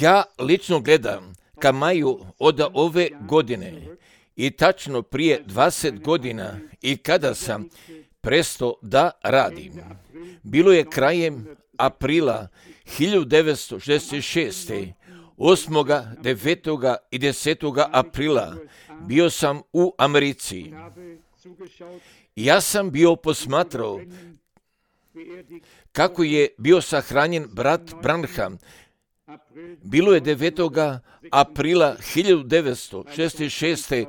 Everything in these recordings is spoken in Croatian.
Ja lično gledam ka maju od ove godine i tačno prije 20 godina i kada sam prestao da radim. Bilo je krajem aprila 1966. 8., 9. i 10. aprila bio sam u Americi. Ja sam bio posmatrao kako je bio sahranjen brat Branham. Bilo je 9. aprila 1966.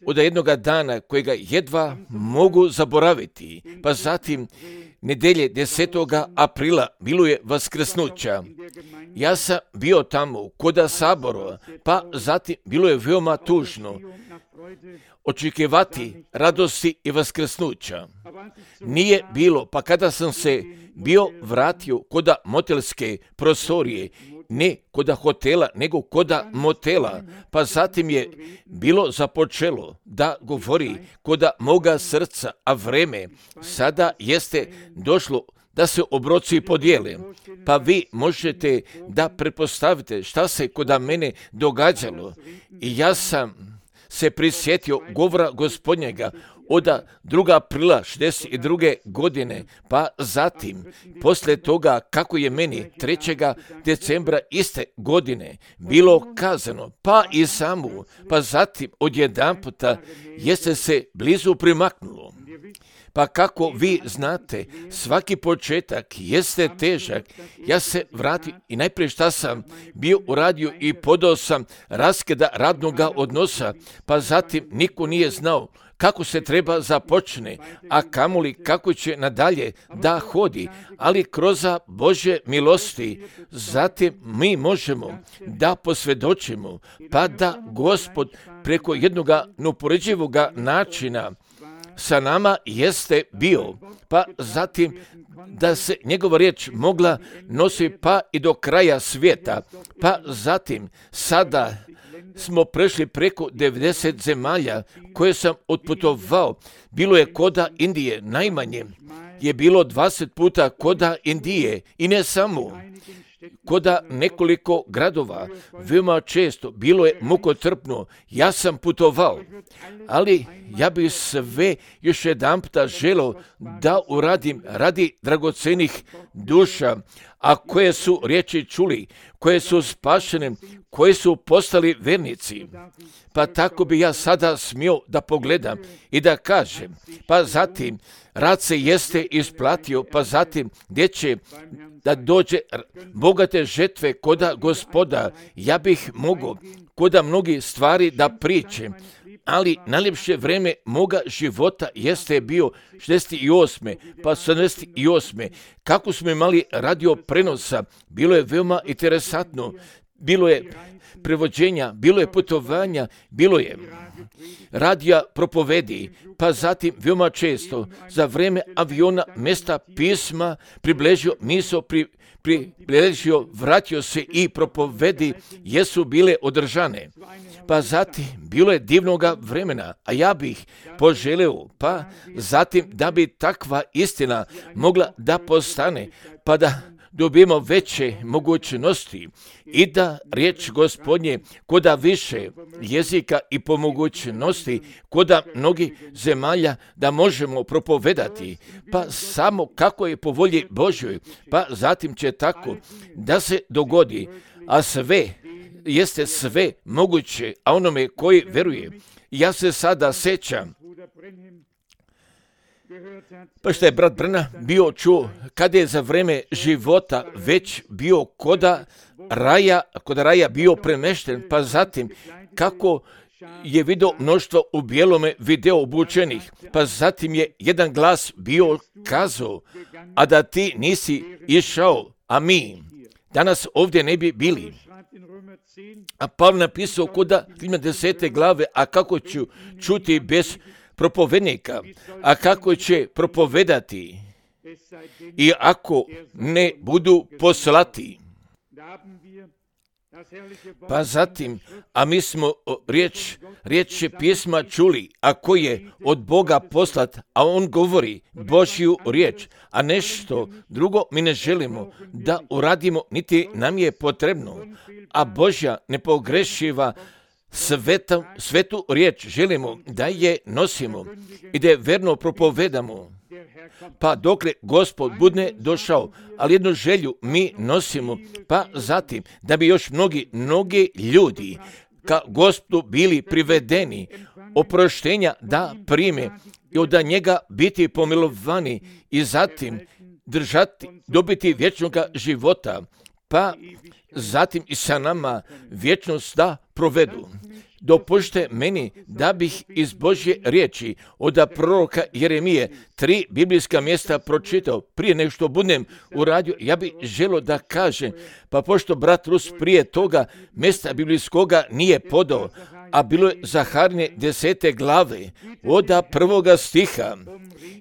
od jednoga dana kojega jedva mogu zaboraviti. Pa zatim nedelje 10. aprila bilo je vaskrsnuća. Ja sam bio tamo koda Sabora, pa zatim bilo je veoma tužno očekivati radosti i vaskrsnuća. Nije bilo, pa kada sam se bio vratio koda motelske prostorije, ne koda hotela, nego koda motela, pa zatim je bilo započelo da govori koda moga srca, a vreme sada jeste došlo da se obroci podijele. Pa vi možete da pretpostavite šta se koda mene događalo. I ja sam se prisjetio govora Gospodnjega od 2. aprila 62. godine, pa zatim, poslije toga kako je meni 3. decembra iste godine bilo kazano, pa i samu, pa zatim odjedanputa jeste se blizu primaknulo. Pa kako vi znate, svaki početak jeste težak. Ja se vratim i najprije šta sam bio uradio i podao sam raskida radnoga odnosa, pa zatim niko nije znao kako se treba započne, a kamoli kako će nadalje da hodi, ali kroz Božje milosti zatim mi možemo da posvjedočimo, pa da Gospod preko jednog neuporedivoga načina sa nama jeste bio, pa zatim da se njegova riječ mogla nositi pa i do kraja svijeta, pa zatim sada smo prešli preko 90 zemalja koje sam otputovao. Bilo je koda Indije, najmanje je bilo 20 puta koda Indije i ne samo. Koda nekoliko gradova, veoma često, bilo je mukotrpno, ja sam putovao, ali ja bih sve još jedanputa želeo da uradim radi dragocenih duša, a koje su riječi čuli, koje su spašene, koje su postali vernici. Pa tako bi ja sada smio da pogledam i da kažem, pa zatim rad se jeste isplatio, pa zatim gdje će da dođe bogate žetve koda Gospoda, ja bih mogao koda mnogi stvari da pričem, ali najljepše vreme moga života jeste bio 68. pa 78. Kako smo imali radio prenosa, bilo je veoma interesantno, bilo je prevođenja, bilo je putovanja, bilo je radija propovedi, pa zatim veoma često za vreme aviona mesta pisma približio misao, približio, vratio se i propovedi jesu bile održane. Pa zatim bilo je divnoga vremena, a ja bih poželeo, pa zatim da bi takva istina mogla da postane, pa da dobijemo veće mogućnosti i da riječ Gospodnje koda više jezika i po mogućnosti koda mnogih zemalja da možemo propovedati, pa samo kako je po volji Božjoj, pa zatim će tako da se dogodi, a sve jeste sve moguće, a onome koji veruje. Ja se sada sećam, pa što je brat Branham bio čuo kada je za vreme života već bio koda raja bio premešten, pa zatim kako je vidio mnoštvo u bijelome video obučenih, pa zatim je jedan glas bio kazao, a da ti nisi išao, a mi danas ovdje ne bi bili. A Pavle napisao koda 10. glave, a kako ću čuti bez propovednika, a kako će propovedati i ako ne budu poslati. Pa zatim, a mi smo riječ pisma čuli, a koji je od Boga poslat, a on govori Božju riječ, a nešto drugo mi ne želimo da uradimo, niti nam je potrebno, a Božja nepogrešiva svetu riječ želimo da je nosimo i da je verno propovedamo. Pa dokle Gospod bude došao, ali jednu želju mi nosimo, pa zatim da bi još mnogi ljudi ka Gospodu bili privedeni, oproštenja da prime i od njega biti pomilovani i zatim dobiti vječnoga života, pa zatim i sa nama vječnost da provedu. Dopušte meni da bih iz Božje riječi od proroka Jeremije 3 biblijska mjesta pročitao. Prije nego što budem uradio, ja bih želio da kažem, pa pošto brat Rus prije toga mjesta biblijskoga nije podao, a bilo je Zaharine 10. glave od 1. stiha.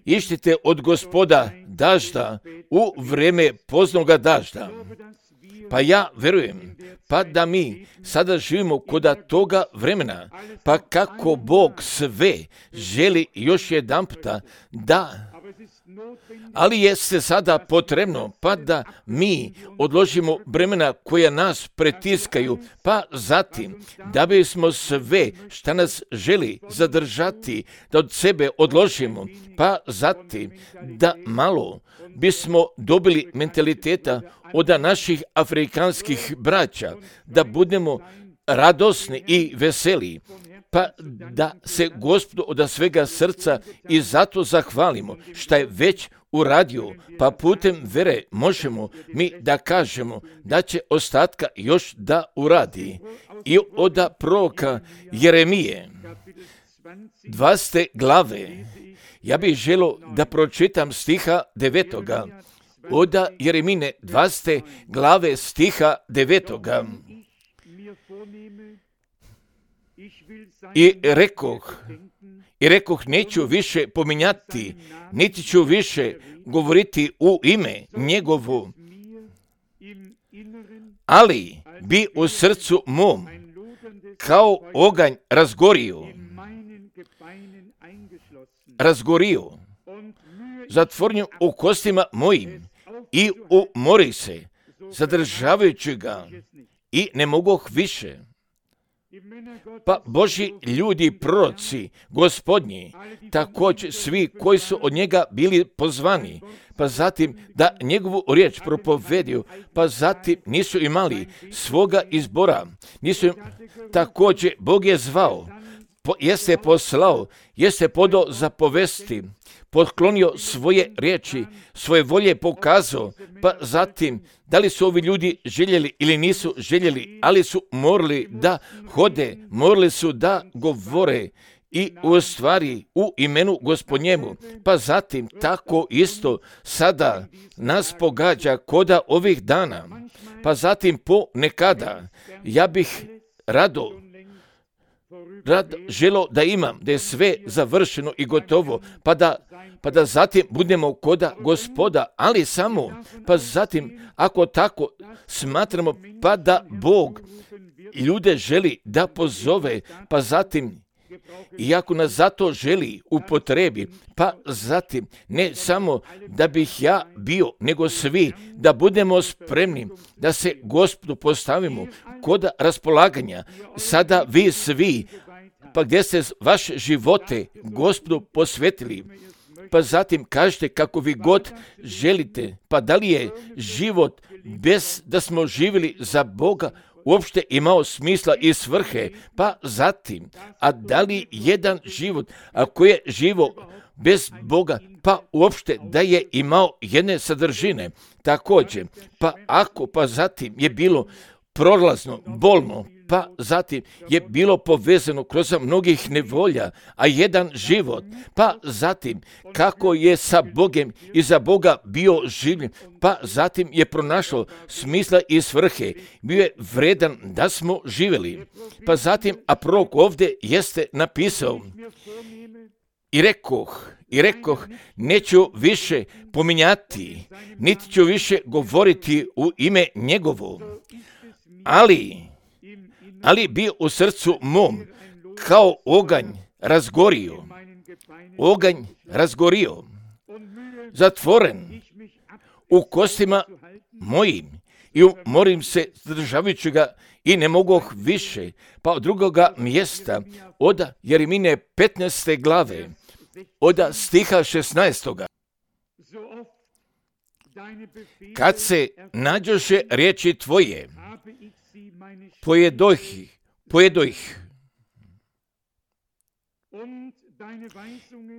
Ištite od Gospoda dažda u vrijeme poznoga dažda. Pa ja verujem, pa da mi sada živimo kod toga vremena, pa kako Bog sve želi još jedan puta da, ali je se sada potrebno pa da mi odložimo bremena koja nas pretiskaju, pa zatim da bismo sve šta nas želi zadržati, da od sebe odložimo, pa zatim da malo bismo dobili mentaliteta od naših afrikanskih braća, da budemo radosni i veseli, pa da se Gospodu od svega srca i zato zahvalimo šta je već uradio, pa putem vere možemo mi da kažemo da će ostatka još da uradi. I od proroka Jeremije 20. glave ja bih želio da pročitam stiha 9. Od Jeremine 20. glave stiha 9. I rekoh, neću više pominjati, niti ću više govoriti u ime njegovu, ali bi u srcu mom kao oganj razgorio, zatvorenju u kostima mojim i umori se, zadržavajući ga i ne mogoh više. Pa Božji ljudi, proroci, gospodnji, također svi koji su od njega bili pozvani, pa zatim da njegovu riječ propovedio, pa zatim nisu imali svoga izbora, također Bog je zvao, jeste poslao, jeste podao za povesti, potklonio svoje riječi, svoje volje pokazao, pa zatim da li su ovi ljudi željeli ili nisu željeli, ali su morali da hode, morali su da govore i u stvari u imenu Gospodnjemu. Pa zatim tako isto sada nas pogađa koda ovih dana, pa zatim ponekada ja bih rad želo da imam, da je sve završeno i gotovo, pa da zatim budemo koda Gospoda, ali samo, pa zatim ako tako smatramo, pa da Bog ljude želi da pozove, pa zatim i ako nas zato želi upotrebi, pa zatim ne samo da bih ja bio, nego svi da budemo spremni, da se Gospodu postavimo kod raspolaganja. Sada vi svi, pa gdje ste vaše živote Gospodu posvetili, pa zatim kažete kako vi god želite, pa da li je život bez da smo živjeli za Boga uopšte imao smisla i svrhe, pa zatim, a da li jedan život, ako je živo bez Boga, pa uopšte da je imao jedne sadržine, također, pa ako, pa zatim je bilo prolazno, bolno, pa zatim je bilo povezano kroz mnogih nevolja, a jedan život, pa zatim kako je sa Bogem i za Boga bio življen, pa zatim je pronašao smisla i svrhe, bio je vredan da smo živjeli. Pa zatim, a prorok ovdje jeste napisao, i rekoh, neću više pominjati, niti ću više govoriti u ime njegovo, ali bio u srcu mom kao oganj razgorio, zatvoren u kostima mojim i umorim se zdržavajući ga i ne mogoh više. Pa od drugoga mjesta, od Jeremine 15. glave, od stiha 16. Kad se nađoše riječi tvoje, pojedo ih.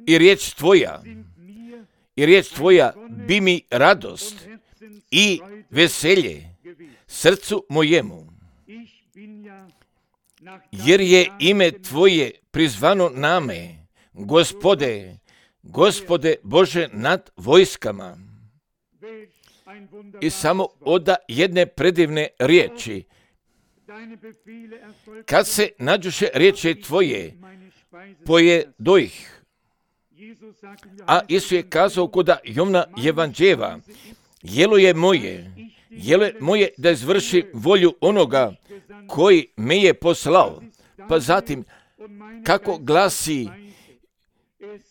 I riječ tvoja bi mi radost i veselje srcu mojemu, jer je ime tvoje prizvano name, Gospode Bože nad vojskama. I samo od jedne predivne riječi, kad se nađoše riječi tvoje, pojedo ih. A Isus je kazao kod Jovna Evanđela, jelo je moje da izvrši volju onoga koji me je poslao. Pa zatim, kako glasi,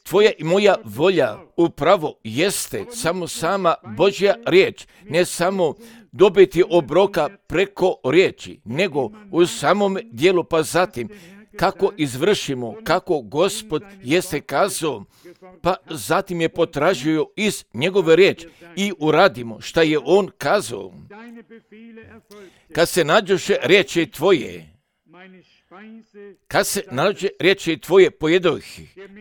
tvoja i moja volja upravo jeste samo sama Božja riječ, ne samo dobiti obroka preko riječi, nego u samom dijelu. Pa zatim, kako izvršimo, kako Gospod jeste kazao, pa zatim je potražio iz njegove riječi i uradimo šta je on kazao. Kad se nađoše riječi tvoje,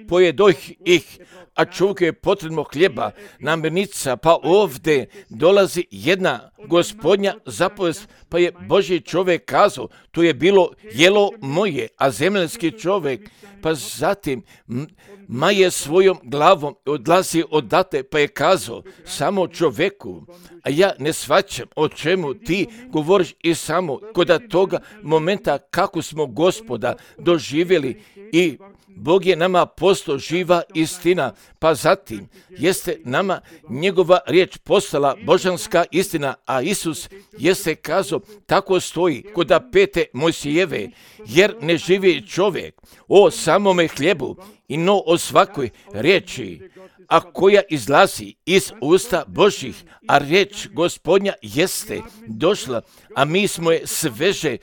pojedoh ih, a čovjeku je potrebno hljeba, namirnica, pa ovdje dolazi jedna Gospodnja zapovest, pa je Božji čovjek kazao, to je bilo jelo moje, a zemaljski čovjek, pa zatim maje svojom glavom odlazi odate, pa je kazao samo čovjeku, a ja ne shvaćam o čemu ti govoriš. I samo kod toga momenta kako smo Gospoda doživjeli i Bog je nama postao živa istina, pa zatim jeste nama njegova riječ postala božanska istina, a Isus jeste kazao, tako stoji kod 5. Mojsijeve, jer ne živi čovjek o samome hljebu, i no o svakoj riječi, a koja izlazi iz usta Božjih, a riječ Gospodnja jeste došla, a mi smo je sveže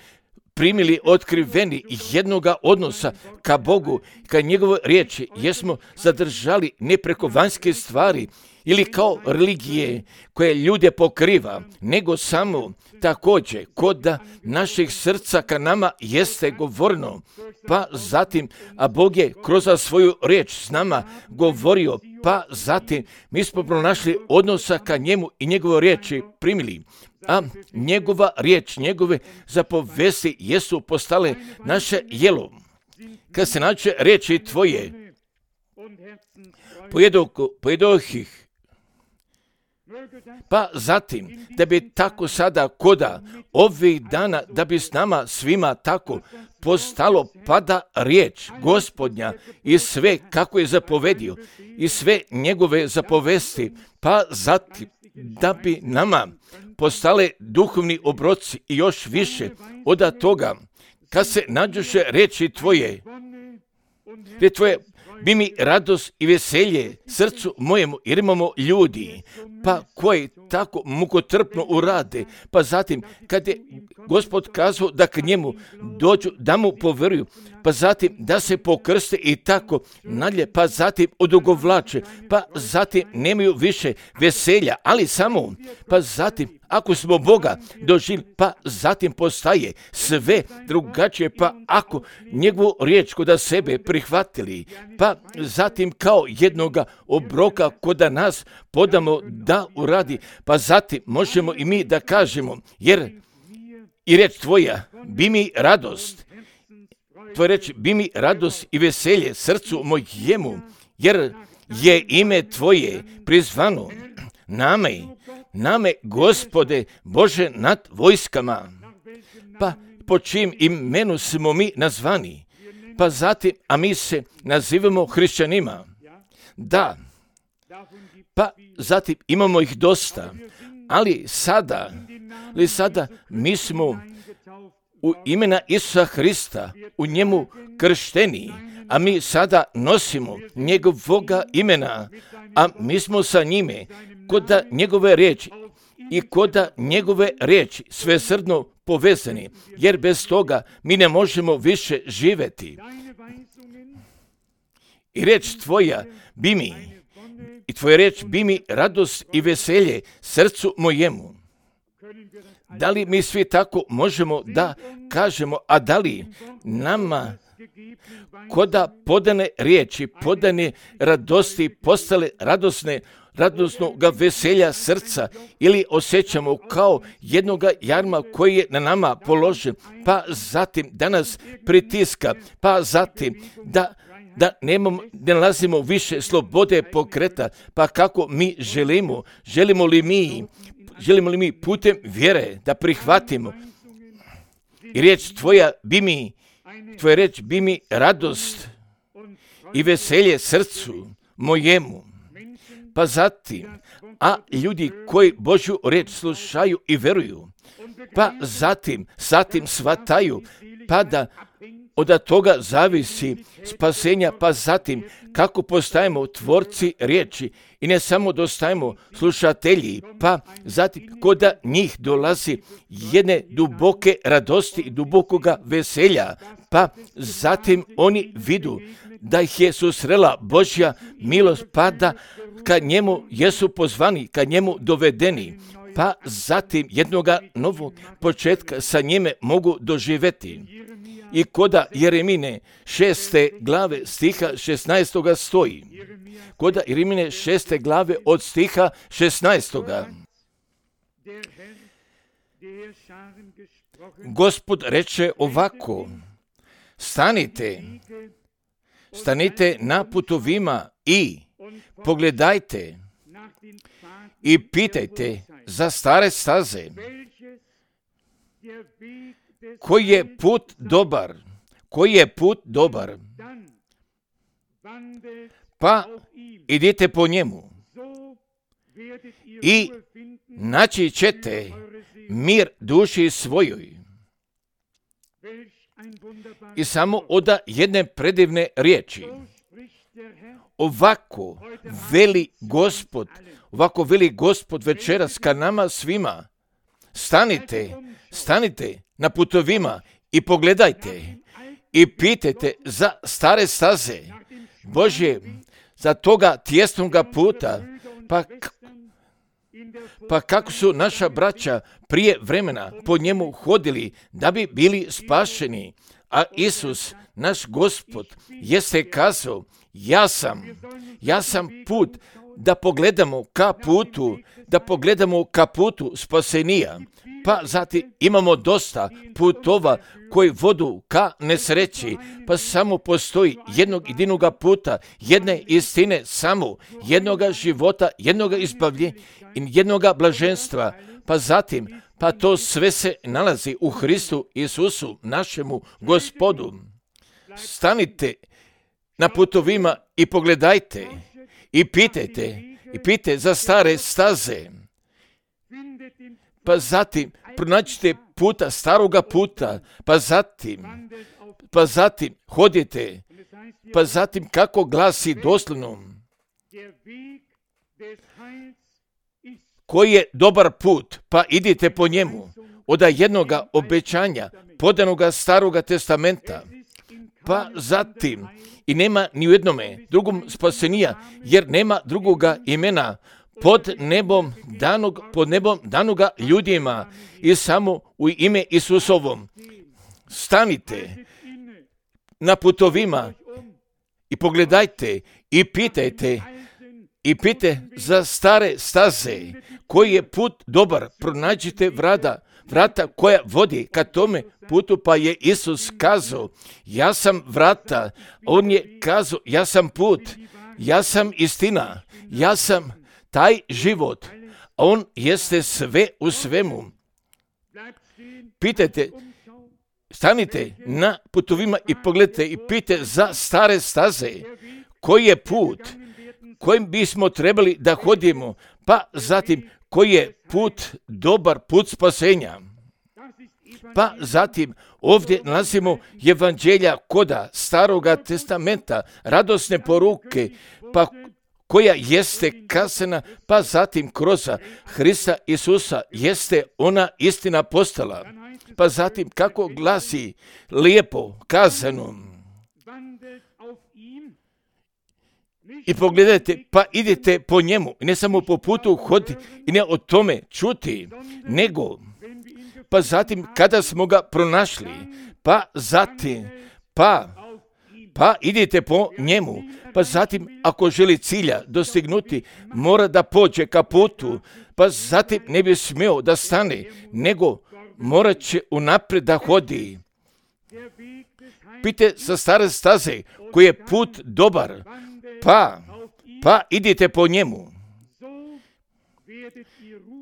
primili otkriveni jednoga odnosa ka Bogu, ka njegovoj riječi, jesmo zadržali ne preko vanjske stvari ili kao religije koje ljude pokriva, nego samo također kod naših srca ka nama jeste govorno. Pa zatim, a Bog je kroz svoju riječ s nama govorio, pa zatim mi smo pronašli odnosa ka njemu i njegove riječi primili. A njegova riječ, njegove zapovesti jesu postale naše jelo. Kad se nađe riječi tvoje, pojedoh ih. Pa zatim, da bi tako sada koda ovih dana, da bi s nama svima tako postalo pada riječ Gospodnja i sve kako je zapovedio i sve njegove zapovesti, pa zatim da bi nama postale duhovni obroci i još više od toga, kad se nađoše riječi tvoje bi mi radost i veselje srcu mojemu, jer imamo ljudi, pa koji tako mukotrpno urade, pa zatim kad je Gospod kazao da k njemu dođu, da mu poveruju, pa zatim da se pokrste i tako nadalje, pa zatim odugovlače, pa zatim nemaju više veselja, ali samo, pa zatim ako smo Boga doživjeli, pa zatim postaje sve drugačije, pa ako njegovu riječ kod sebe prihvatili, pa zatim kao jednoga obroka kod nas podamo da uradi, pa zatim možemo i mi da kažemo, jer i riječ tvoja bi mi radost, tvoja riječ bi mi radost i veselje srcu mojemu, jer je ime tvoje prizvano name, Gospode Bože nad vojskama. Pa po čim imenu smo mi nazvani, pa zatim, a mi se nazivamo hrišćanima. Da, pa zatim imamo ih dosta, Ali sada mi smo u imena Isusa Hrista u njemu kršteni, a mi sada nosimo njegovoga imena, a mi smo sa njime koda njegove riječi i koda njegove riječi svesrdno povezani, jer bez toga mi ne možemo više živjeti. I riječ tvoja bi mi, i tvoja riječ bi mi radost i veselje srcu mojemu. Da li mi svi tako možemo da kažemo, a da li nama koda podane riječi, podane radosti postale radosnoga veselja srca, ili osjećamo kao jednoga jarma koji je na nama položen, pa zatim da nas pritiska, pa zatim da ne nalazimo više slobode pokreta, pa kako mi želimo li mi putem vjere da prihvatimo i tvoja riječ bi mi radost i veselje srcu mojemu. Pa zatim, a ljudi koji Božju riječ slušaju i veruju, pa zatim shvataju, pa da od toga zavisi spasenja, pa zatim kako postajemo tvorci riječi i ne samo dostajemo slušatelji, pa zatim koda njih dolazi jedne duboke radosti i dubokoga veselja, pa zatim oni vidu da ih je susrela Božja milost, pa da ka njemu jesu pozvani, ka njemu dovedeni, pa zatim jednoga novog početka sa njime mogu doživjeti. I koda Jeremine 6. glave stiha 16. stoji. Koda Jeremine 6. glave od stiha 16. Gospod reče ovako: stanite na putovima i pogledajte i pitajte za stare staze, koji je put dobar, pa idite po njemu i naći ćete mir duši svojoj. I samo od jedne predivne riječi. Ovako veli Gospod večeras ka nama svima: stanite na putovima i pogledajte i pitajte za stare staze Božje, za toga tjesnoga puta, pa kako su naša braća prije vremena po njemu hodili da bi bili spašeni, a Isus, naš Gospod, jeste kazao: ja sam put, da pogledamo ka putu spasenija. Pa zatim imamo dosta putova koji vodu ka nesreći, pa samo postoji jednog jedinoga puta, jedne istine, samo jednoga života, jednoga izbavljenja i jednoga blaženstva. Pa zatim, to sve se nalazi u Hristu Isusu, našemu Gospodu. Stanite na putovima i pogledajte i pitajte za stare staze. Pa zatim pronađite puta, staroga puta, pa zatim hodite, pa zatim kako glasi doslovno: koji je dobar put, pa idite po njemu, od jednoga obećanja podanoga staroga testamenta. Pa zatim, i nema ni u jednome drugom spasenija, jer nema drugoga imena pod nebom danoga ljudima, i samo u ime Isusovom. Stanite na putovima i pogledajte i pitajte za stare staze, koji je put dobar, pronađite vrata koja vodi ka tome putu, pa je Isus kazao: ja sam vrata. On je kazao: ja sam put, ja sam istina, ja sam taj život. On jeste sve u svemu. Pitajte, stanite na putovima i pogledajte i pitajte za stare staze, koji je put kojim bismo trebali da hodimo, pa zatim koji je put dobar, put spasenja. Pa zatim ovdje nalazimo evanđelja koda Staroga testamenta, radosne poruke, pa koja jeste kazana, pa zatim kroz Hrista Isusa jeste ona istina postala. Pa zatim kako glasi lijepo kazano. I pogledajte, pa idite po njemu, ne samo po putu hoditi i ne o tome čuti, nego pa zatim kada smo ga pronašli, pa zatim, pa idite po njemu, pa zatim ako želi cilja dostignuti, mora da pođe ka putu, pa zatim ne bi smio da stane, nego morat će unaprijed da hodi. Pite sa stare staze koji je put dobar, pa idite po njemu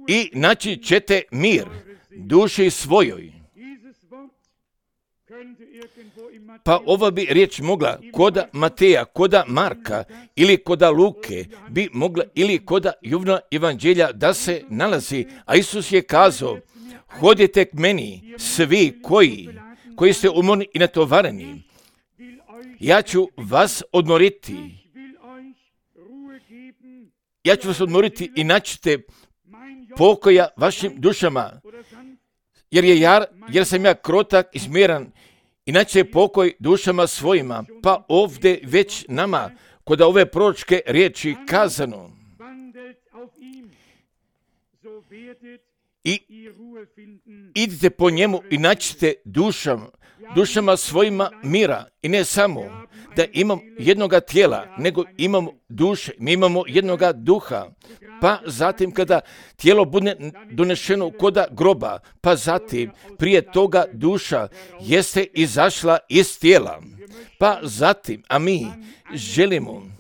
i naći ćete mir duši svojoj. Pa ova bi riječ mogla koda Mateja, koda Marka ili koda Luke bi mogla ili koda Jovana evanđelja da se nalazi, a Isus je kazao: hodite k meni svi koji ste umorni i natovareni, ja ću vas odmoriti. Ja ću vas odmoriti i naćete pokoja vašim dušama, jer sam ja krotak i smiran, i naće pokoj dušama svojima. Pa ovdje već nama, kod ove proročke riječi kazano, i idite po njemu i naćete dušama svojima mira. I ne samo da imam jednoga tijela, nego imamo duše, mi imamo jednoga duha. Pa zatim kada tijelo bude donešeno koda groba, pa zatim prije toga duša jeste izašla iz tijela. Pa zatim, a mi želimo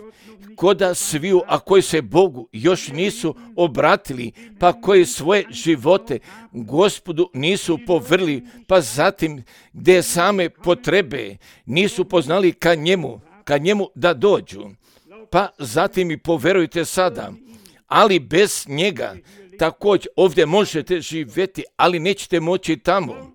koda sviju, a koji se Bogu još nisu obratili, pa koji svoje živote Gospodu nisu povrli, pa zatim gdje same potrebe nisu poznali ka njemu da dođu, pa zatim i poverujte sada, ali bez njega također ovdje možete živjeti, ali nećete moći tamo,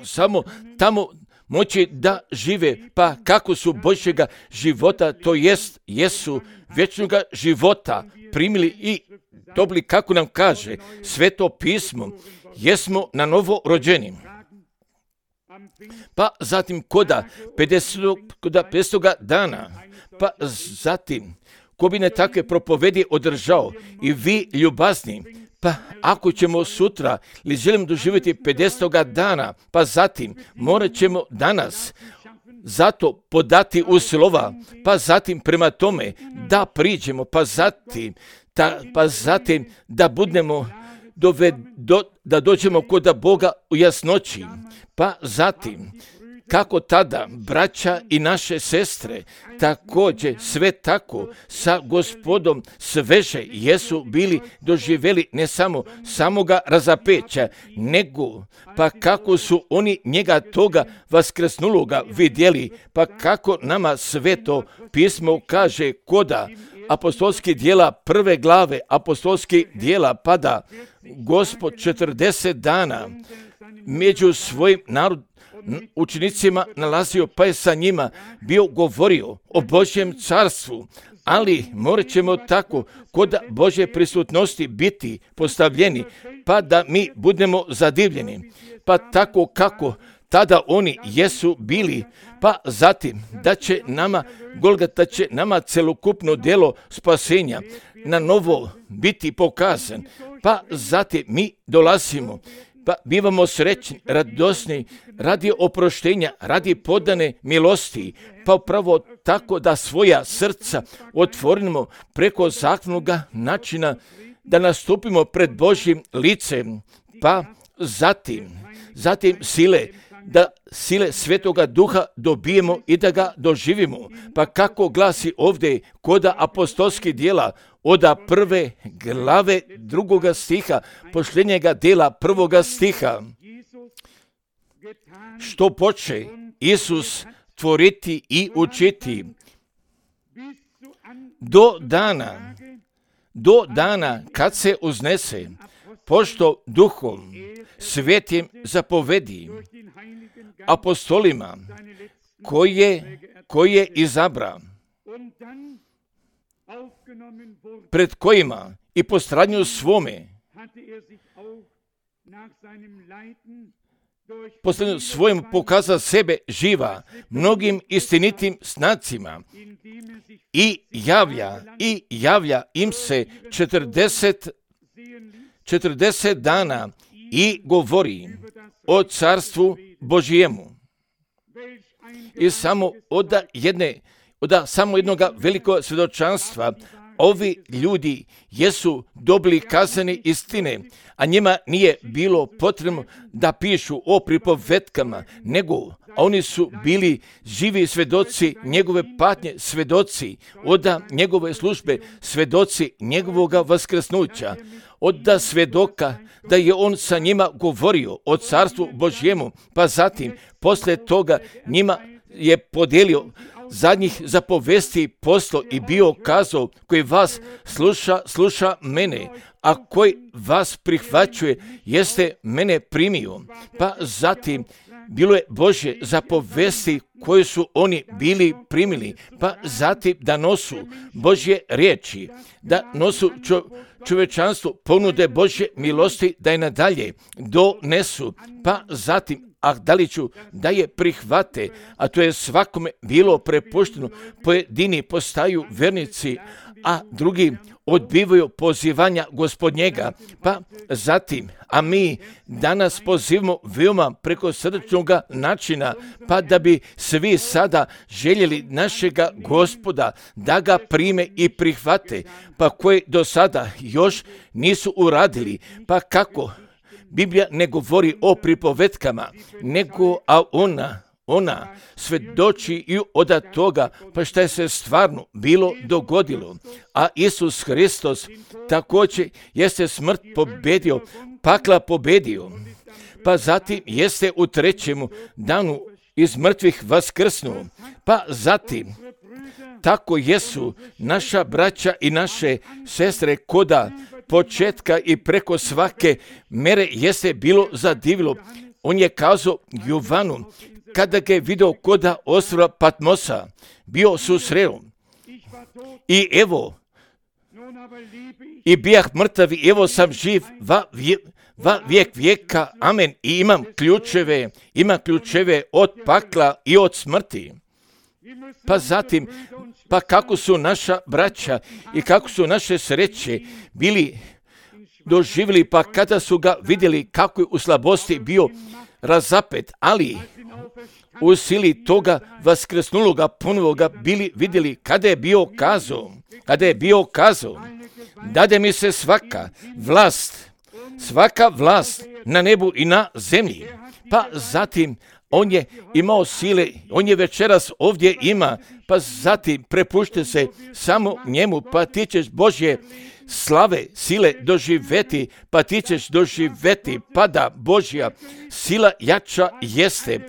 samo tamo moći da žive, pa kako su Božjega života, to jest jesu vječnoga života primili i dobili, kako nam kaže Sveto pismo, jesmo na novo rođeni. Pa zatim koda 50. dana, pa zatim ko bi ne takve propovedi održao i vi ljubazni, pa ako ćemo sutra ili želimo doživjeti 50. dana, pa zatim morat ćemo danas zato podati u slova, pa zatim prema tome da priđemo, pa zatim da budemo da dođemo kod Boga u jasnoći, pa zatim kako tada braća i naše sestre također sve tako sa Gospodom sveže jesu bili doživjeli ne samo samoga razapeća, nego pa kako su oni njega toga vaskrsnuloga vidjeli, pa kako nama Sveto pismo kaže koda apostolskih djela 1. glave apostolskih djela, pada Gospod 40 dana među svojim učenicima nalazio, pa je sa njima bio govorio o Božjem carstvu, ali morat ćemo tako kod Božje prisutnosti biti postavljeni, pa da mi budemo zadivljeni, pa tako kako tada oni jesu bili, pa zatim da će nama Golgota, će nama celokupno djelo spasenja na novo biti pokazan, pa zatim mi dolazimo, pa bivamo srećni, radosni, radi oproštenja, radi podane milosti, pa upravo tako da svoja srca otvorimo preko zakonnoga načina, da nastupimo pred Božjim licem, pa zatim sile Svetoga Duha dobijemo i da ga doživimo. Pa kako glasi ovdje koda apostolskih djela od 1. glave 2. stiha, posljednjega djela 1. stiha, što poče Isus tvoriti i učiti do do dana kad se uznese, pošto Duhom Svetim zapovedi apostolima koje izabra, pred kojima i po stranju svome, posljednju svojom pokazao sebe živa mnogim istinitim znacima i javlja im se 40 dana i govori o carstvu Božijemu. I samo od samo jednog velikog svjedočanstva ovi ljudi jesu dobili kazane istine, a njima nije bilo potrebno da pišu o pripovetkama, nego oni su bili živi svjedoci njegove patnje, svjedoci od njegove službe, svjedoci njegovog vaskrsnuća, od svjedoka da je on sa njima govorio o carstvu Božjemu, pa zatim poslije toga njima je podijelio zadnjih zapovesti poslo i bio kazao, koji vas sluša mene, a koji vas prihvaćuje, jeste mene primio. Pa zatim bilo je Božje zapovesti koje su oni bili primili, pa zatim da nosu Božje riječi, da nosu čovječanstvu ponude Božje milosti, da je nadalje donesu, pa zatim da li ću da je prihvate, a to je svakome bilo prepušteno, pojedini postaju vernici, a drugi odbivaju pozivanja Gospodnjega, pa zatim, a mi danas pozivamo veoma preko srčnog načina, pa da bi svi sada željeli našega Gospoda da ga prime i prihvate, pa koji do sada još nisu uradili, pa kako? Biblija ne govori o pripovetkama, nego ona svjedoči i od toga, pa šta je se stvarno bilo dogodilo. A Isus Hristos također jeste smrt pobedio, pakla pobedio, pa zatim jeste u 3. danu iz mrtvih vaskrsnuo, pa zatim tako jesu naša braća i naše sestre koda početka i preko svake mere jeste bilo zadivilo. On je kazao Jovanu, kada ga je vidio koda ostrva Patmosa, bio susreo. I evo, i bijah mrtav, i evo sam živ va vijek vijeka, amen. I imam ključeve od pakla i od smrti. Pa zatim, pa kako su naša braća i kako su naše sreće bili doživjeli, pa kada su ga vidjeli kako je u slabosti bio razapet, ali u sili toga vaskrsnuloga ponovoga bili vidjeli kada je bio kazao, dade mi se svaka vlast na nebu i na zemlji. Pa zatim on je imao sile, on je večeras ovdje ima, pa zatim prepušte se samo njemu, pa ti ćeš Božje slave, sile doživeti, pa ti ćeš doživeti, pa da Božja sila jača jeste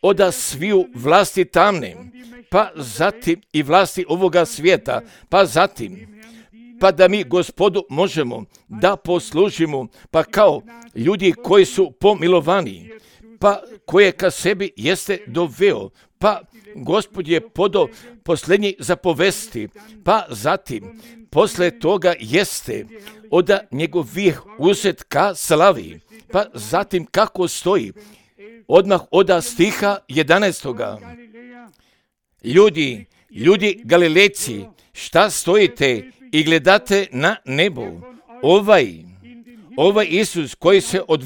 od sviju vlasti tamne, pa zatim i vlasti ovoga svijeta, pa zatim, pa da mi Gospodu možemo da poslužimo, pa kao ljudi koji su pomilovani, pa koje ka sebi jeste doveo, pa Gospod je podao posljednji zapovesti, pa zatim posle toga jeste od njegovih uzet ka slavi, pa zatim kako stoji, odmah od stiha 11. Ljudi Galilejci, šta stojite i gledate na nebo? Ovaj Isus koji se od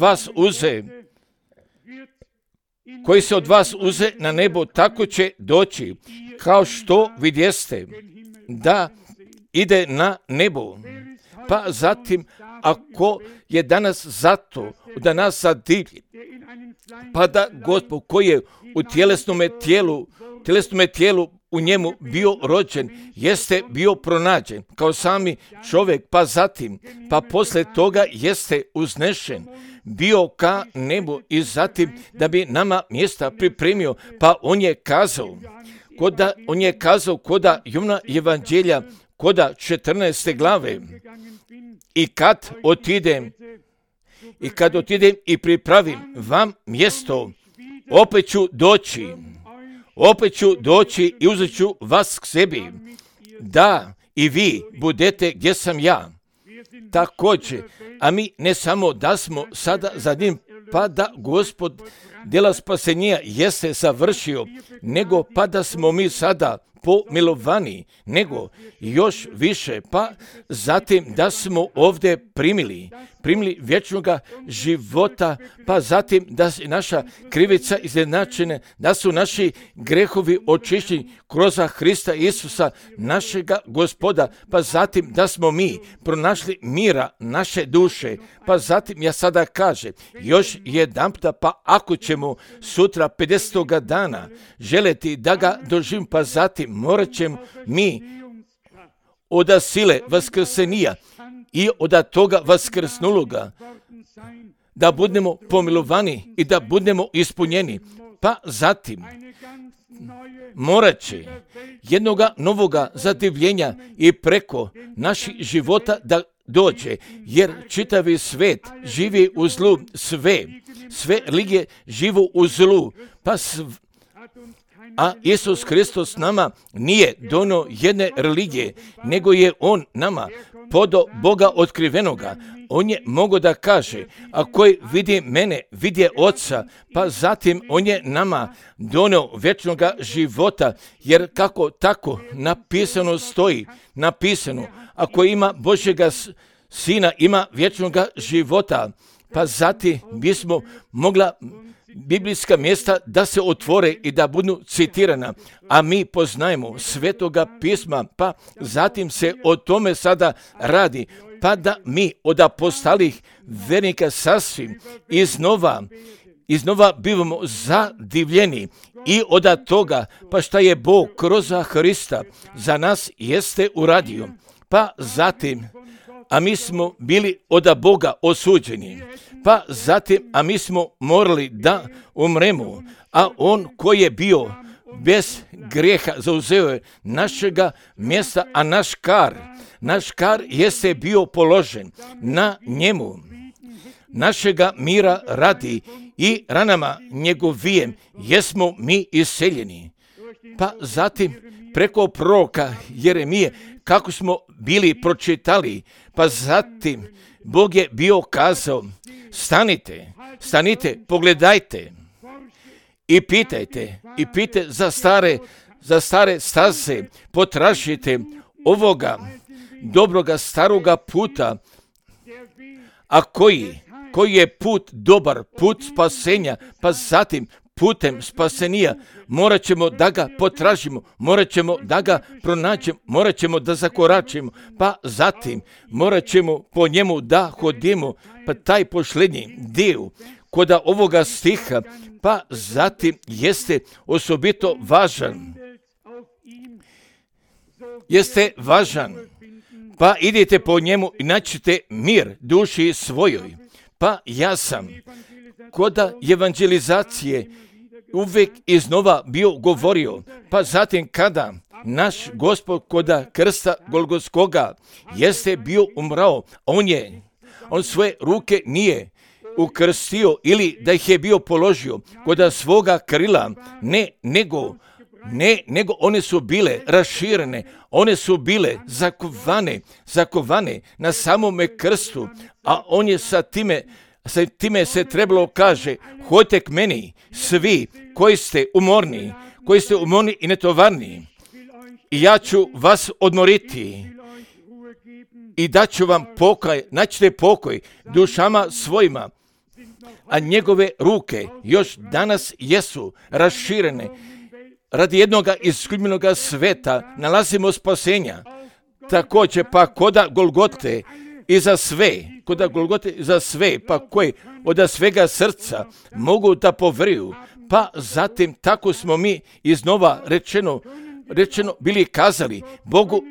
vas uze na nebo, tako će doći, kao što vidjeste da ide na nebo. Pa zatim, ako je danas zato da nas zadivlji, pa da Gospod koji je u tjelesnome tijelu u njemu bio rođen, jeste bio pronađen kao sami čovjek, pa zatim, pa poslije toga jeste uznešen, bio ka nebu i zatim da bi nama mjesta pripremio, pa on je kazao koda Jovana evanđelja koda 14. glave. I kad otidem i pripravim vam mjesto, opet ću doći i uzet ću vas k sebi, da i vi budete gdje sam ja. Također, a mi ne samo da smo sada za njim, pa da Gospod djela spasenja jeste završio, nego pa da smo mi sada pomilovani, nego još više, pa zatim da smo ovdje primili vječnoga života, pa zatim da je naša krivica izjednačena, da su naši grehovi očišćeni kroz Hrista Isusa, našega Gospoda, pa zatim da smo mi pronašli mira naše duše, pa zatim ja sada kažem još jedanputa, pa ako ćemo sutra 50. dana želeti da ga doživim, pa zatim morat ćemo mi od sile vaskrsenija i od toga vaskrsnuloga da budemo pomilovani i da budemo ispunjeni, pa zatim morat će jednoga novoga zadivljenja i preko naših života da dođe, jer čitavi svet živi u zlu, sve religije živu u zlu, a Isus Hristos nama nije donio jedne religije, nego je on nama podo Boga otkrivenoga. On je mogao da kaže, ako vidi mene, vidi Oca, pa zatim on je nama donio vječnoga života, jer kako tako napisano stoji, ako ima Božjega Sina, ima vječnoga života, pa zatim bismo mogla biblijska mjesta da se otvore i da budu citirana, a mi poznajemo Svetoga pisma, pa zatim se o tome sada radi, pa da mi od apostolih vernika sasvim iznova bivamo zadivljeni i od toga, pa šta je Bog kroz Hrista za nas jeste uradio, pa zatim, a mi smo bili od Boga osuđeni, pa zatim, a mi smo morali da umremo, a on koji je bio bez grijeha zauzeo je našega mjesta, a naš kar jeste bio položen na njemu, našega mira radi i ranama njegovijem jesmo mi iseljeni. Pa zatim preko proroka Jeremije, kako smo bili pročitali, pa zatim Bog je bio kazao, stanite, pogledajte i pitajte za stare staze, potražite ovoga dobroga staroga puta, a koji je put dobar, put spasenja, pa zatim putem spasenija morat ćemo da ga potražimo, morat ćemo da ga pronađemo, morat ćemo da zakoračimo, pa zatim morat ćemo po njemu da hodimo, pa taj posljednji dio kod ovoga stiha, pa zatim jeste osobito važan, pa idite po njemu i naćete mir duši svojoj. Pa ja sam kod evangelizacije uvijek iznova bio govorio, pa zatim kada naš Gospod kod krsta Golgotskoga jeste bio umrao, on svoje ruke nije ukrstio ili da ih je bio položio kod svoga krila, nego one su bile raširene, one su bile zakovane na samome krstu, a on je sa time se trebalo kaže, hodite k meni, svi koji ste umorni i netovarni, i ja ću vas odmoriti i daću vam naćete pokoj dušama svojima, a njegove ruke još danas jesu raširene. Radi jednoga isključenoga sveta nalazimo spasenja. Također pa koda Golgote i za sve, pa koji od svega srca mogu da poveruju, pa zatim tako smo mi iznova rečeno bili kazali, Bogu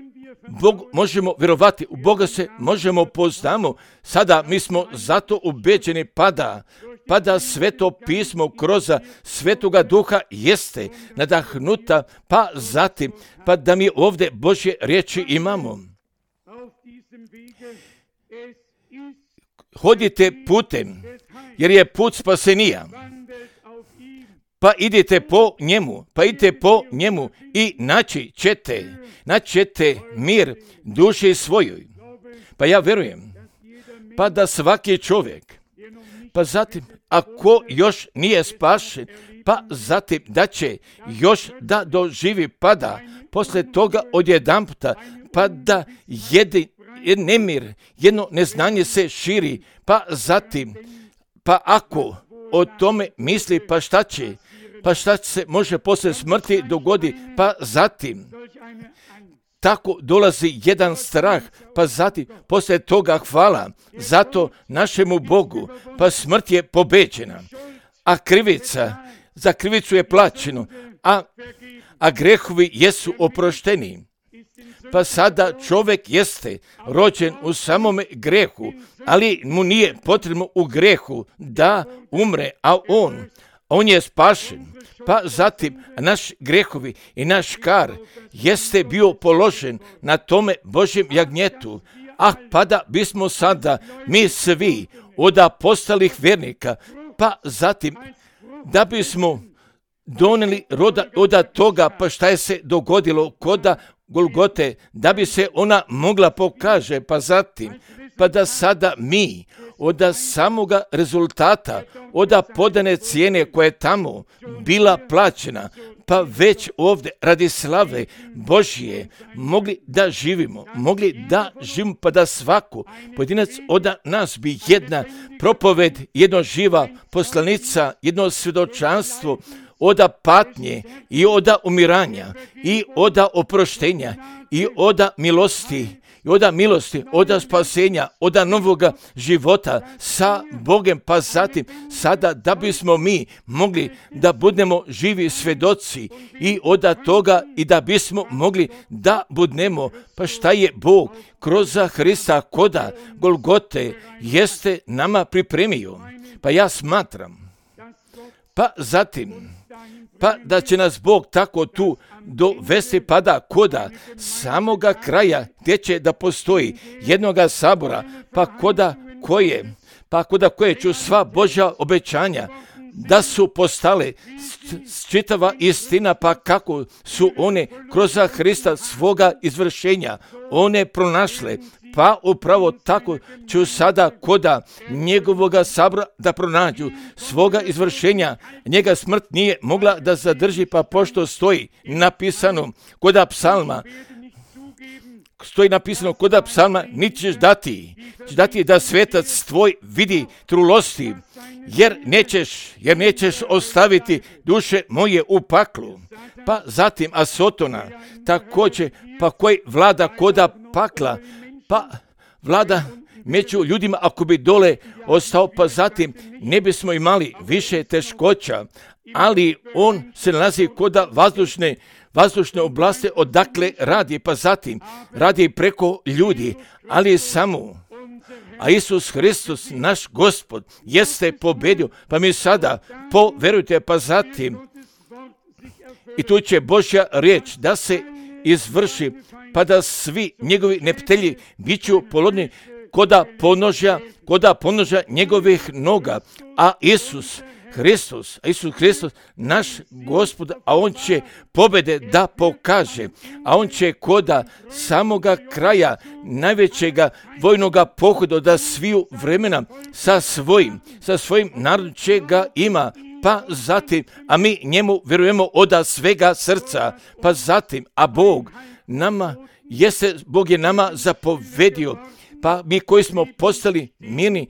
možemo vjerovati, u Boga se možemo poznamo, sada mi smo zato ubeđeni pada sveto pismo kroz Svetoga Duha jeste nadahnuta, pa zatim, pa da mi ovdje Božje riječi imamo. Hodite putem, jer je put spasenija. Pa idite po njemu i naći ćete mir duši svojoj. Pa ja verujem, pa da svaki čovjek, pa zatim ako još nije spašen, pa zatim da će još da doživi pada, poslije toga odjedanputa, pa da nemir, jedno neznanje se širi, pa zatim, pa ako o tome misli, pa šta će se može poslije smrti dogodi, pa zatim tako dolazi jedan strah, pa zatim poslije toga hvala zato našemu Bogu, pa smrt je pobeđena, a za krivicu je plaćeno, a grehovi jesu oprošteni. Pa sada čovjek jeste rođen u samome grehu, ali mu nije potrebno u grehu da umre, a on je spašen. Pa zatim naš grehovi i naš kar jeste bio položen na tome Božjem jagnjetu, pa da bismo sada mi svi od apostolih vjernika, pa zatim da bismo donijeli roda od toga, pa šta je se dogodilo koda Golgote, da bi se ona mogla pokaže, pa zatim, pa da sada mi od samoga rezultata, od podane cijene koja je tamo bila plaćena, pa već ovdje radi slave Božje mogli da živimo, pa da svako pojedinac od nas bi jedna propoved, jedno živa poslanica, jedno svjedočanstvo od patnje i od umiranja i od oproštenja i od milosti, od spasenja, od novoga života sa Bogem, pa zatim sada da bismo mi mogli da budemo živi svjedoci i od toga i da bismo mogli da budemo, pa šta je Bog kroz Hrista koda Golgote jeste nama pripremio. Pa ja smatram, pa zatim, pa da će nas Bog tako tu dovesti, pa da koda samoga kraja gdje će da postoji jednoga sabora, pa koda koje ću sva Božja obećanja da su postale čitava istina, pa kako su one kroz Hrista svoga izvršenja one pronašle, pa upravo tako ću sada koda njegovoga sabora da pronađu svoga izvršenja. Njega smrt nije mogla da zadrži, pa pošto stoji napisano koda psalma, niti ćeš dati da svetac tvoj vidi trulosti, jer nećeš ostaviti duše moje u paklu. Pa zatim Asotona također, pa koji vlada koda pakla, pa vlada među ljudima, ako bi dole ostao, pa zatim ne bismo imali više teškoća, ali on se nalazi koda vazdušne oblasti odakle radi, pa zatim radi preko ljudi, ali samo, a Isus Hristos, naš Gospod, jeste pobedio, pa mi sada poverujte, pa zatim i tu će Božja riječ da se izvrši, pa da svi njegovi neptelji bit ću polodni koda ponožja njegovih noga, a Isus Hristos, naš Gospod, a on će pobjede da pokaže, a on će koda samoga kraja najvećega vojnoga pohoda da sviju vremena sa svojim narodom će ga ima, pa zatim, a mi njemu vjerujemo od svega srca, pa zatim, a Bog je nama zapovedio, pa mi koji smo postali mirni,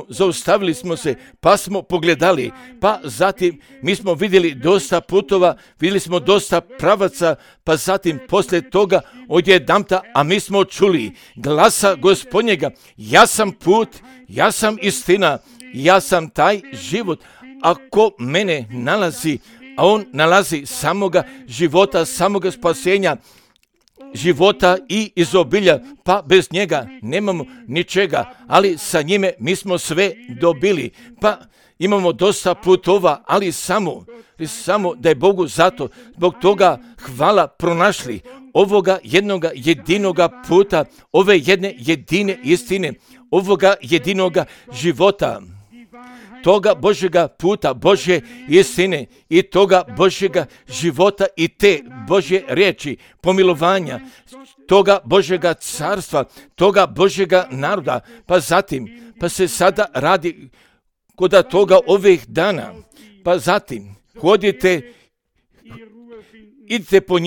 zaustavili smo se, pa smo pogledali, pa zatim mi smo vidjeli dosta putova, vidjeli smo dosta pravaca, pa zatim poslije toga odjedanputa, a mi smo čuli glasa Gospodnjega, ja sam put, ja sam istina, ja sam taj život, ako mene nalazi, a on nalazi samoga života, samoga spasenja, života i izobilja, pa bez njega nemamo ničega, ali sa njime mi smo sve dobili, pa imamo dosta putova, ali samo da je Bogu zato, zbog toga hvala pronašli ovoga jednoga jedinoga puta, ove jedne jedine istine, ovoga jedinoga života, toga Božjega puta, Božje istine i toga Božjega života i te Božje riječi, pomilovanja, toga Božjega carstva, toga Božjega naroda, pa zatim, pa se sada radi kod toga ovih dana, pa zatim hodite, idite po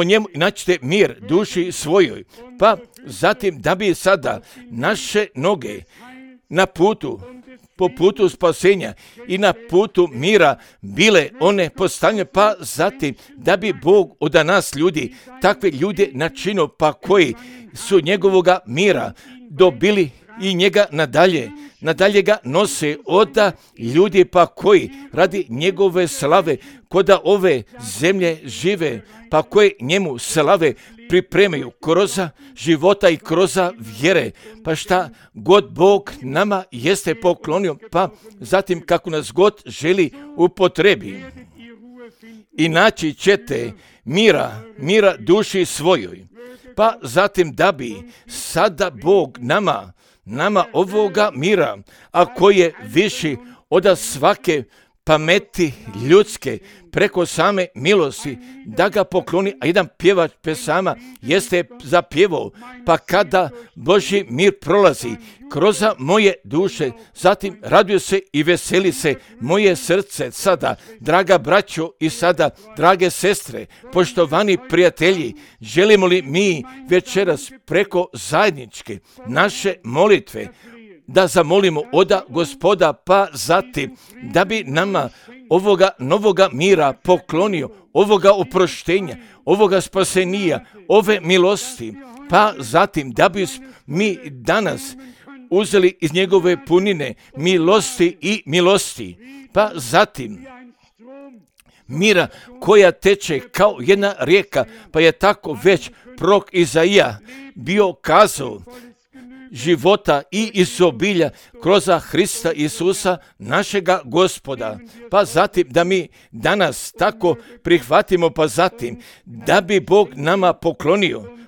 njemu i naćete mir duši svojoj, pa zatim da bi sada naše noge na putu, po putu spasenja i na putu mira bile one postavljene, pa zatim da bi Bog od nas ljudi, takve ljude načinio, pa koji su njegovoga mira dobili i njega nadalje ga nose oda ljudi, pa koji radi njegove slave koda ove zemlje žive, pa koje njemu slave pripremaju kroza života i kroza vjere, pa šta god Bog nama jeste poklonio, pa zatim kako nas god želi upotrebi. I naći ćete mira duši svojoj, pa zatim da bi sada Bog nama ovoga mira, a koji je viši od svake pameti ljudske, preko same milosti, da ga pokloni, a jedan pjevač pesama jeste zapjevao, pa kada Božji mir prolazi kroz moje duše, zatim raduje se i veseli se moje srce sada, draga braćo i sada, drage sestre, poštovani prijatelji, želimo li mi večeras preko zajedničke naše molitve da zamolimo oda Gospoda, pa zatim da bi nama ovoga novoga mira poklonio, ovoga oproštenja, ovoga spasenija, ove milosti, pa zatim da bi mi danas uzeli iz njegove punine milosti i milosti, pa zatim mira koja teče kao jedna rijeka, pa je tako već prorok Izaija bio kazao, života i izobilja kroz Hrista Isusa našega Gospoda. Pa zatim da mi danas tako prihvatimo, pa zatim da bi Bog nama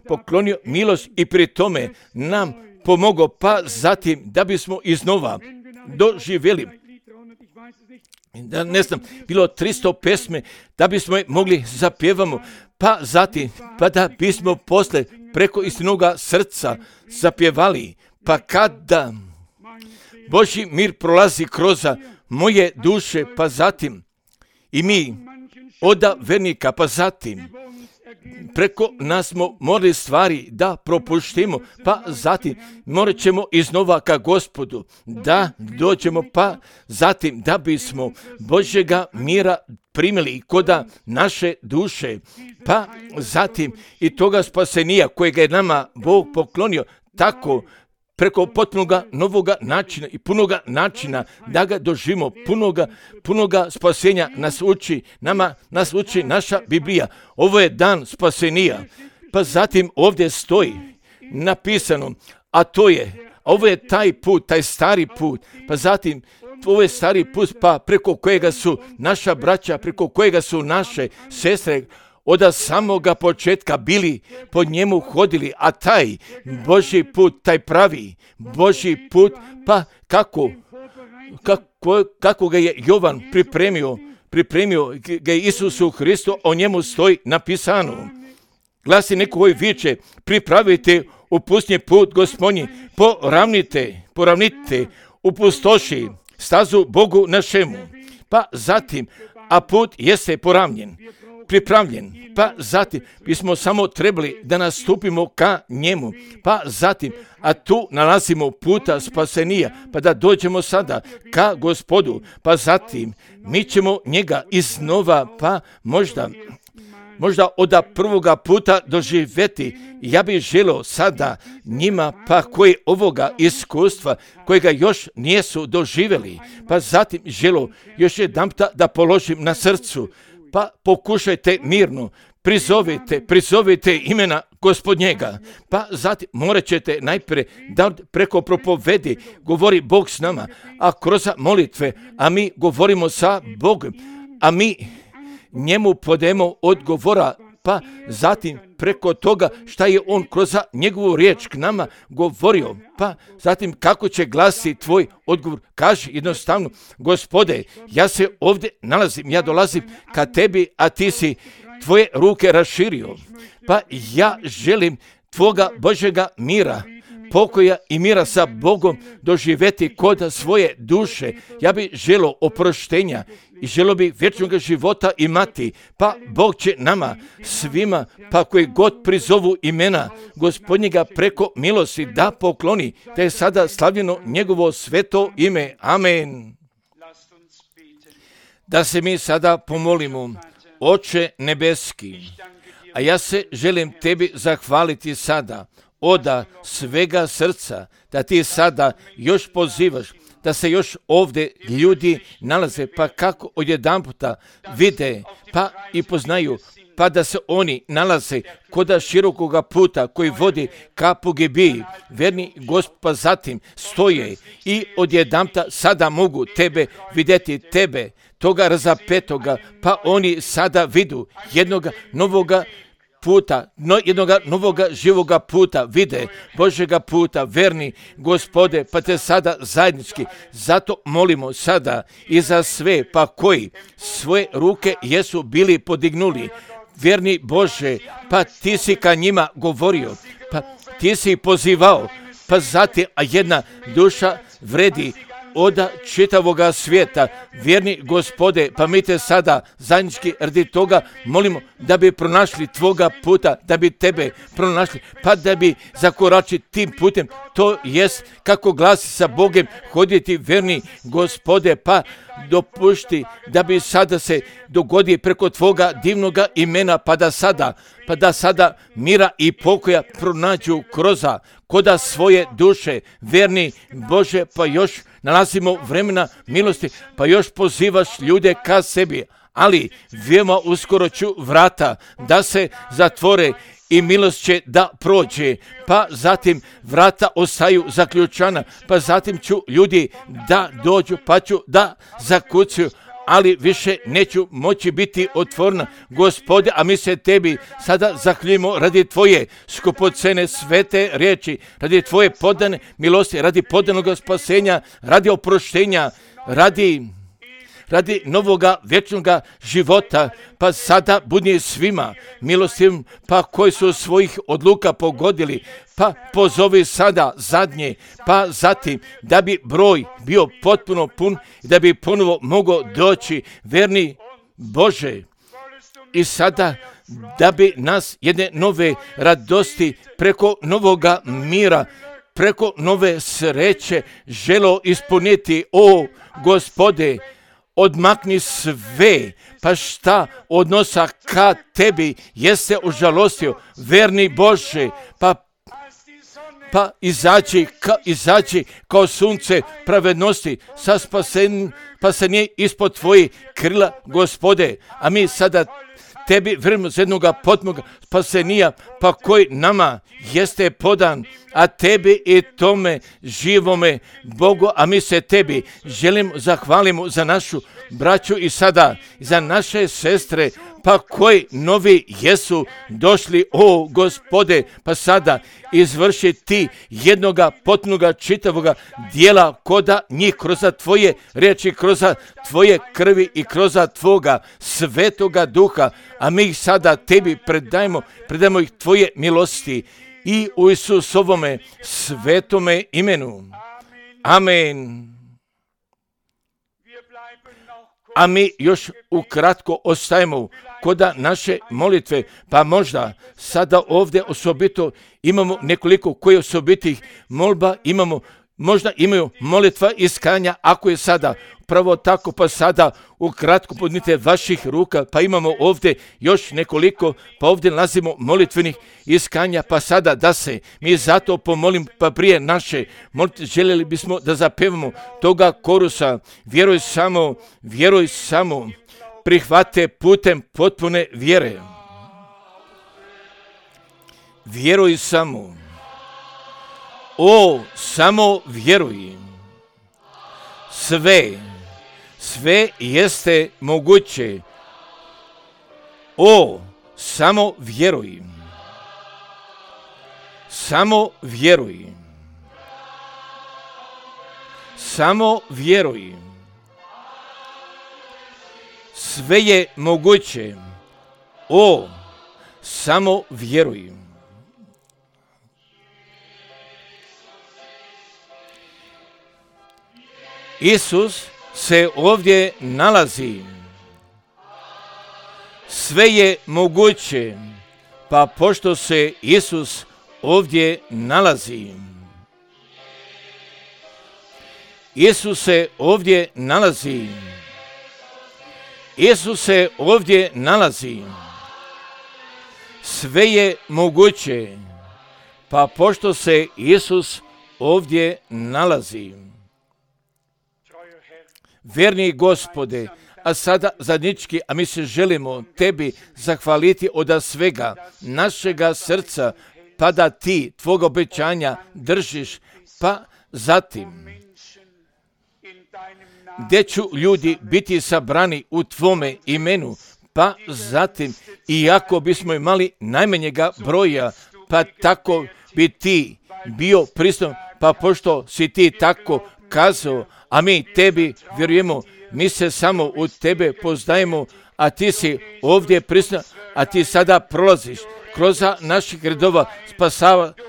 poklonio milost i pri tome nam pomogao, pa zatim da bismo iznova doživjeli, da ne znam, bilo 300 pesme, da bismo je mogli zapjevamo, pa zatim, pa da bismo posle preko istinoga srca zapjevali, pa kada Božji mir prolazi kroz moje duše, pa zatim i mi oda vernika, pa zatim preko nas smo morali stvari da propuštimo, pa zatim morat ćemo iznova ka Gospodu da dođemo, pa zatim da bismo Božjega mira primili koda naše duše, pa zatim i toga spasenija kojega je nama Bog poklonio, tako preko potpunoga novoga načina i punoga načina da ga doživimo, punoga spasenja nas uči naša Biblija. Ovo je dan spasenija, pa zatim ovdje stoji napisano, ovo je taj put, taj stari put, pa zatim ovo je stari put, pa preko kojega su naša braća, preko kojega su naše sestre od samoga početka bili, po njemu hodili, a taj Božji put, taj pravi Božji put, pa kako ga je Jovan pripremio ga je Isusu Hristu, o njemu stoji napisano. Glasi neko koji viče, pripravite u pustinji put Gospodnji, poravnite u pustoši stazu Bogu našemu. Pa zatim, a put jeste pripravljen, pa zatim bismo samo trebali da nastupimo ka njemu, pa zatim, a tu nalazimo puta spasenija, pa da dođemo sada ka Gospodu, pa zatim mi ćemo njega iznova, pa možda od prvoga puta doživjeti. Ja bih želio sada njima, pa koji ovoga iskustva, kojega još nisu doživjeli, pa zatim želio još jedanputa da položim na srcu, pa pokušajte mirno, prizovite imena Gospodnjega, pa zatim morat ćete najprije da preko propovedi govori Bog s nama, a kroz molitve, a mi govorimo sa Bogom, a mi njemu podemo odgovora pa zatim preko toga šta je on kroz njegovu riječ k nama govorio, pa zatim kako će glasiti tvoj odgovor. Kaži jednostavno, Gospode, ja se ovdje nalazim, ja dolazim ka tebi, a ti si tvoje ruke raširio, pa ja želim tvoga Božjega mira, pokoja i mira sa Bogom doživjeti kod svoje duše. Ja bi želio oproštenja i želio bi vječnog života imati, pa Bog će nama svima, pa koji god prizovu imena Gospodnjega preko milosti da pokloni, da je sada slavljeno njegovo sveto ime. Amen. Da se mi sada pomolimo. Oče nebeski, a ja se želim tebi zahvaliti sada od svega srca, da ti sada još pozivaš, da se još ovdje ljudi nalaze, pa kako odjedanputa vide, pa i poznaju, pa da se oni nalaze kod širokoga puta koji vodi ka pogibiji, verni Gospod, pa zatim stoje i odjedanputa sada mogu tebe vidjeti, tebe, toga razapetoga, pa oni sada vidu jednoga novoga puta, jednoga novoga živoga puta, vide Božjega puta, verni Gospode, pa te sada zajednički, zato molimo sada i za sve, pa koji svoje ruke jesu bili podignuli, verni Bože, pa ti si ka njima govorio, pa ti si pozivao, pa zatim, a jedna duša vredi od čitavoga svijeta, vjerni Gospode, pa mi te sada zajednički radi toga molimo da bi pronašli tvoga puta, da bi tebe pronašli, pa da bi zakoračili tim putem, to jest kako glasi sa Bogem hoditi, vjerni Gospode, pa dopušti da bi sada se dogodi preko tvoga divnoga imena, pa da sada mira i pokoja pronađu kroza koda svoje duše, verni Bože, pa još nalazimo vremena milosti, pa još pozivaš ljude ka sebi, ali veoma uskoro ću vrata da se zatvore i milost će da prođe, pa zatim vrata ostaju zaključana, pa zatim ću ljudi da dođu, pa ću da zakucaju, ali više neću moći biti otvorena, Gospode, a mi se tebi sada zahvaljujemo radi tvoje skupocene svete riječi, radi tvoje podane milosti, radi podanog spasenja, radi oproštenja, radi novoga vječnoga života, pa sada budi svima milostivim, pa koji su svojih odluka pogodili, pa pozovi sada zadnje, pa zatim da bi broj bio potpuno pun i da bi ponovo mogao doći, verni Bože, i sada da bi nas jedne nove radosti preko novoga mira, preko nove sreće želo ispuniti, o Gospode, odmakni sve, pa šta odnosa ka tebi jeste užalostio, verni Bože, pa izađi kao sunce pravednosti sa spasenje ispod tvojih krila, Gospode, a mi sada tebi vremeno za jednoga potmoga spasenija, pa koji nama jeste podan, a tebi i tome živome Bogu, a mi se tebi želimo zahvalimo za našu braću i sada za naše sestre, pa koji novi jesu došli, o Gospode, pa sada izvrši ti jednoga potpunoga čitavoga dijela koda njih kroz tvoje riječi, kroz tvoje krvi i kroz tvoga svetoga duha, a mi ih sada tebi predajemo ih tvoje milosti i u Isusovome svetome imenu. Amen. A mi još ukratko ostajemo koda naše molitve, pa možda sada ovdje osobito imamo nekoliko koji osobitih molba imamo, možda imaju molitva iskanja, ako je sada pravo tako, pa sada ukratko podnite vaših ruka, pa imamo ovdje još nekoliko, pa ovdje nalazimo molitvenih iskanja, pa sada da se mi zato pomolim, pa prije naše molitve željeli bismo da zapevamo toga korusa, vjeruj samo, prihvate putem potpune vjere. Vjeruj samo. O, samo vjeruj. Sve jeste moguće. O, Samo vjeruj. Samo vjeruj. Samo vjeruj. Sve je moguće. O, samo vjeruj. Isus se ovdje nalazi. Sve je moguće, pa pošto se Isus ovdje nalazi. Isus se ovdje nalazi. Isus se ovdje nalazi. Sve je moguće, pa pošto se Isus ovdje nalazi. Verni Gospode, a sada zadnjički, a mi se želimo tebi zahvaliti od svega našega srca, pa da ti tvoga obećanja držiš, pa zatim gdje ću ljudi biti sabrani u tvome imenu, pa zatim iako bismo imali najmanjega broja, pa tako bi ti bio prisutan, pa pošto si ti tako kazao, a mi tebi vjerujemo, mi se samo u tebe poznajemo, a ti si ovdje prisutan, a ti sada prolaziš kroz naših redova,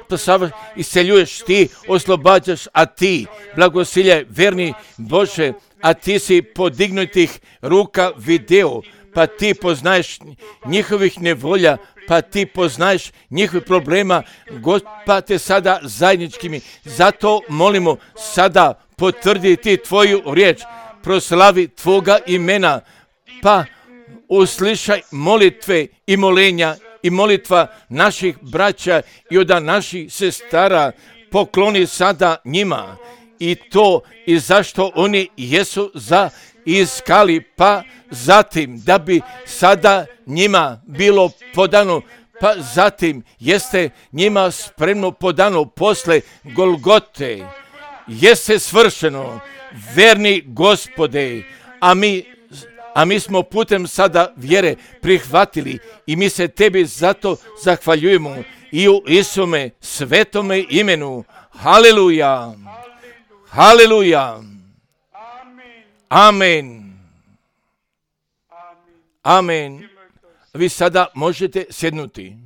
spasavaš, isceljuješ ti, oslobađaš, a ti blagosiljaj, verni Bože, a ti si podignutih ruka video, pa ti poznaješ njihovih nevolja, pa ti poznaješ njihovih problema, pa te sada zajedničkimi, zato molimo sada potvrditi tvoju riječ, proslavi tvoga imena, pa uslišaj molitve i molenja i molitva naših braća i od naših sestara, pokloni sada njima i to i zašto oni jesu iskali, pa zatim da bi sada njima bilo podano, pa zatim jeste njima spremno podano posle Golgote, jeste svršeno, verni Gospode, a mi smo putem sada vjere prihvatili i mi se tebi zato zahvaljujemo i u Isume svetome imenu. Haleluja! Haleluja! Amen! Amen! Vi sada možete sjednuti.